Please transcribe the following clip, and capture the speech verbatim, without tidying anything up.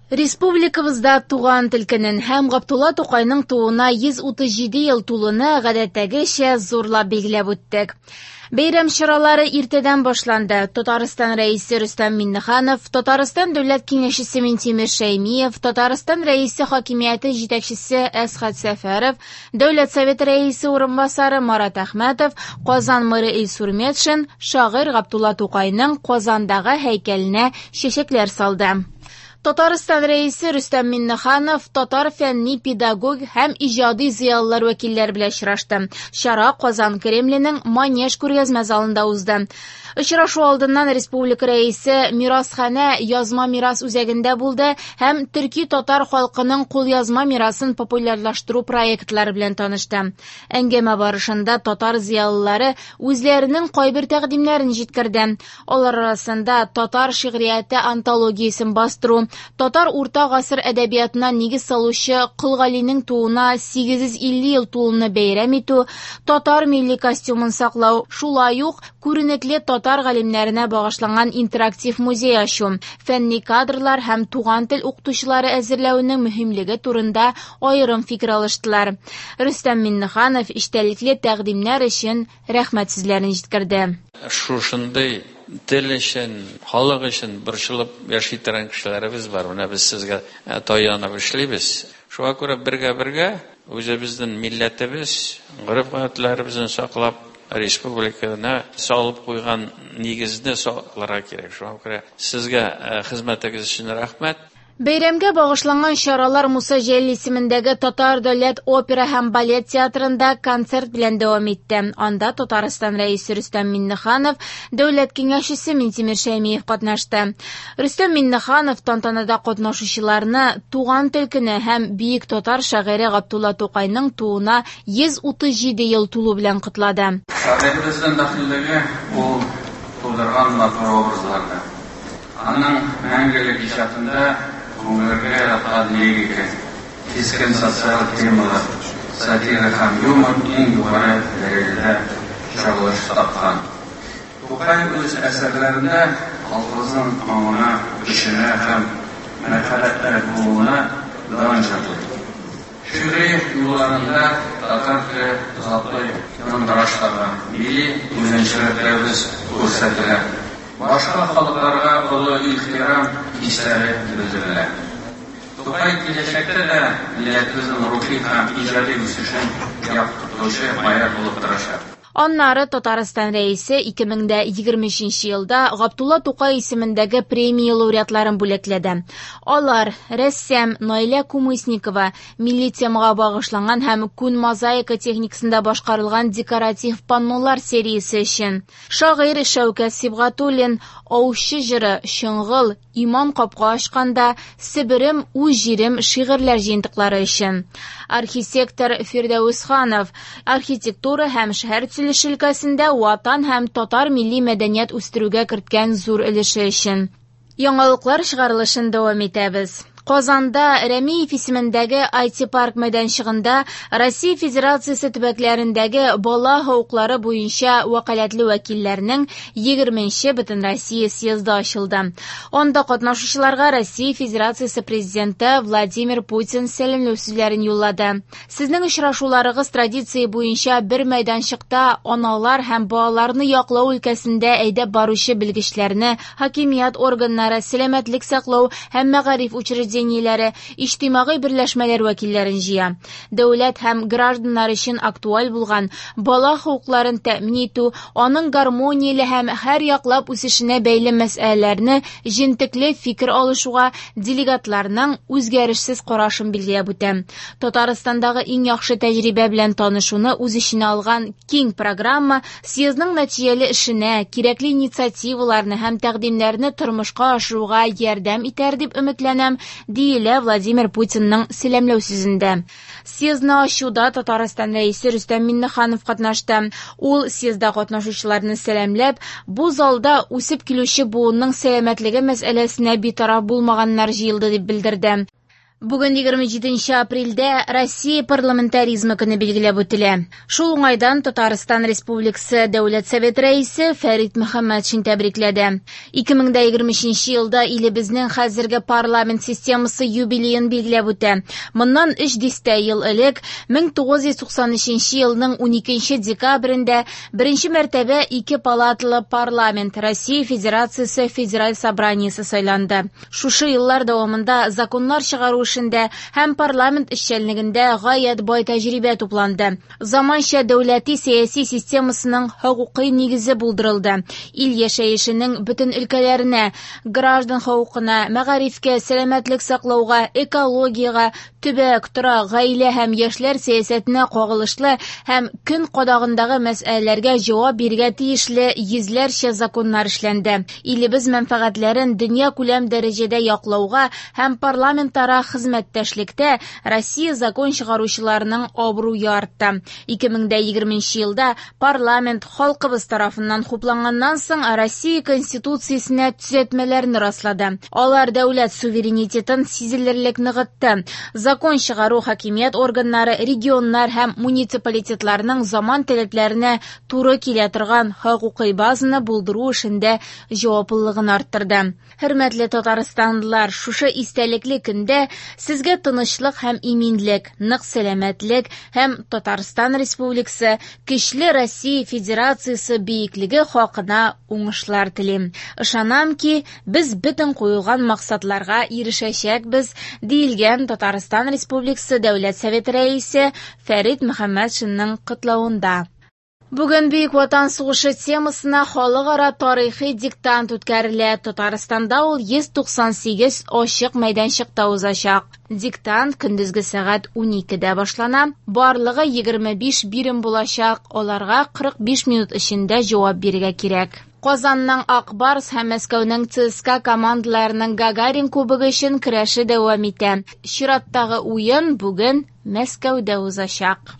Республикабызда туган тел көнен һәм Габдулла Тукайның тууына йөз утыз җиде ел тулуны гадәттәгечә зурлап билгеләп үттек. Бәйрәм чаралары иртәдән башланды. Татарстан Рәисе Рөстәм Миңнеханов, Татарстан Дәүләт Киңәшчесе Минтимер Шәймиев, Татарстан Рәисе хакимияте җитәкчесе Әсхәт Сәфәров, Дәүләт Советы Рәисе урынбасары Марат Әхмәтов, Казан мэры Илсур Метшин шагыйрь Габдулла Тукайның Казандагы һәйкәленә чәчәкләр салды. Татарстан Рәисе Рөстәм Миңнеханов татар фәнни, педагог һәм иҗади зыялылар вәкилләре белән очрашты. Чара Казан Кремленең Манеж күргәзмә залында узды. Очрашу алдыннан Республика Рәисе Мирасханә язма мирас үзәгендә булды һәм төрки татар халкының кулъязма мирасын популярлаштыру проектлары белән танышты. Әңгәмә барышында татар зыялылары үзләренең кайбер тәкъдимнәрен җиткерде. Алар арасында татар шигърияте антологиясен бастыру, татар урта гасыр әдәбиятына нигез салучы Кол Галинең тууына сигез йөз илле ел тулуны бәйрәм итү, татар милли костюмын саклау, шулай ук күренекле татар галимнәренә багышланган интерактив музей ачу, фәнни кадрлар һәм туган тел укытучылары әзерләүнең мөһимлеге турында аерым фикер алыштылар. Рөстәм Миңнеханов эчтәлекле тәкъдимнәр өчен рәхмәт сүзләрен җиткерде. Шушындый тел өчен, халык өчен борчылып яши торган кешеләребез бар. Менә без сезгә таянып эшлибез. Шуңа күрә бергә-бергә үзебезнең милләтебез, гореф-гадәтләребезне саклап, республиканы салып куйган нигезне сакларга кирәк. Шуңа күрә сезгә хезмәтегез өчен рәхмәт. Бәйрәмгә багышланган чаралар Муса Җәлил исемендәге Татар дәүләт опера һәм балет театрында концерт белән дәвам итте. Анда Татарстан Рәисе Рөстәм Миңнеханов, Дәүләт Киңәшчесе Минтимер Шәймиев катнашты. Рөстәм Миңнеханов тантанада катнашучыларны туган тел көне һәм бөек татар шагыйре Габдулла Тукайның тууына йөз утыз җиде ел тулу белән котлады. Шагыйребезнең дәхиллеге ул тудырган матур образларда. Аның мәңгелек иҗатында күңелгә яткан лирика, кискен социаль темалар, сатира һәм юмор иң югары дәрәҗәдә чагылыш тапкан. Тукай үз әсәрләрендә халкыбызның аңына, көченә һәм мәрхәмәтле булуына дан җырлый. Шигъри юлларында татар теле затлы яңгыраш таба, милли үзенчәлекләребез күрсәтелә. Башка халыкларга олы ихтирам хисләре белдерелә. Тукай киләчәктә дә милләтебезнең рухи һәм иҗади үсешен яктыртучы маяк булып торачак. Аннары Татарстан Рәисе ике мең дә егерме өченче елда Габдулла Тукай исемендәге премия лауреатларын бүләкләде. Алар рәссам Наилә Кумысникова милли темага багышланган һәм күн мозаика техникасында башкарылган декоратив паннолар сериясе өчен, шагыйрь Шәүкәт Сибгатуллин Аучы җыры, Чоңгыл, Иман капка ачканда, Себерем, үз җирем шигырьләр җыентыклары өчен, архитектор Фирдәүс Ханов архитектура һәм шәһәр төзелеше өлкәсендә ватан һәм татар милли мәдәният үстерүгә керткән зур өлеше өчен. Яңалыклар чыгарылышын дәвам итәбез. Казанда Рәмиев исемендәге ай ти парк мәйданчыгында Россия Федерациясе төбәкләрендәге бала хокуклары буенча вәкаләтле вәкилләрнең егерменче Бөтенроссия съезды ачылды. Анда катнашучыларга Россия Федерациясе президенты Владимир Путин сәламләү сүзләрен юллады. Сезнең очрашуларыгыз традиция буенча бер мәйданчыкта аналар һәм балаларны яклау өлкәсендә әйдәп баручы белгечләрне, хакимият органнары, сәламәтлек саклау һәм мәгариф учреждениеләре, иҗтимагый берләшмәләр вәкилләрен җыя. Дәүләт һәм гражданнар өчен актуаль булган бала хокукларын тәэмин итү, аның гармонияле һәм һәр яклап үсешенә бәйле мәсьәләләрне җентекле фикер алышуга делегатларның үзгәрешсез карашын билгеләп үтә. Татарстандагы иң яхшы тәҗрибә белән танышуны үз эченә алган киң программа съездның нәтиҗәле эшенә, кирәкле инициативаларны һәм тәкъдимнәрне тормышка ашыруга ярдәм итәр дип өметләнәм, диелә Владимир Путинның сәламләү сүзендә. Съездны ачуда Татарстан Рәисе Рөстәм Миңнеханов катнашты. Ул съездда катнашучыларны сәламләп, бу залда үсеп килүче буынның сәламәтлеге мәсьәләсенә битараф булмаганнар җыелды дип белдерде. Бүген егерме җиденче апрельдә Россия парламентаризмы көне билгеләп үтелә. Шул уңайдан Татарстан Республикасы Дәүләт Советы рәисе Фәрит Мөхәммәтшин тәбрикләде. ике мең дә егерме өченче елда илебезнең хәзерге парламент системасы юбилеен билгеләп үтә. Моннан өч дистә ел элек, мең тугыз йөз туксан өченче елның уникенче декабрендә беренче мәртәбә ике палаталы парламент Россия Федерациясе Федераль Собраниесе сайланды. Шушы еллар дәвамында законнар чыгару эшендә һәм парламент эшчәнлегендә гаять бай тәҗрибә тупланды. Заманча дәүләти сәяси системасының хокукый нигезе булдырылды. Ил яшәешенең бөтен өлкәләренә, граждан хокукына, мәгарифкә, сәламәтлек саклауга, экологиягә, төбәк, торак, гаилә һәм яшьләр сәясәтенә кагылышлы һәм көн кадагындагы мәсьәләләргә җавап бирергә тиешле йөзләрчә законнар эшләнде. Илебез мәнфәгатьләрен дөнья күләм дәрәҗәдә яклауга һәм парламентара хезмәттәшлектә Россия закон чыгаручыларының абруе артты. ике мең дә егерменче елда парламент халкыбыз тарафыннан хупланганнан соң Россия Конституциясенә төзәтмәләрне раслады. Алар дәүләт суверенитетын сизелерлек ныгытты. Закон чыгару хакимият органнары, регионнар һәм муниципалитетларның заман таләпләренә туры килә торган хокукый базаны булдыру эшендә җаваплылыгын арттырды. Хөрмәтле татарстанлылар, шушы истәлекле көндә сезгә тынычлык һәм иминлек, нык сәламәтлек һәм Татарстан Республикасы көчле Россия Федерациясе бөеклеге хакына уңышлар телим. Ышанам ки, без бөтен куелган максатларга ирешәчәкбез, диелгән Татарстан Республикасы Дәүләт Советы рәисе Фәрит Мөхәммәтшинның котлавында. Бүген Бөек Ватан сугышы темасына халыкара тарихи диктант үткәрелә. Татарстанда ул йөз туксан сигез ачык мәйданчыкта узачак. Диктант көндезге сәгать уникедә башлана. Барлыгы егерме биш бирем булачак. Аларга кырык биш минут эчендә җавап бирергә кирәк. Казанның Ак Барс һәм Мәскәүнең ЦСКА командаларының Гагарин кубогы өчен көрәше дәвам итә. Чираттагы уен бүген Мәскәүдә узачак.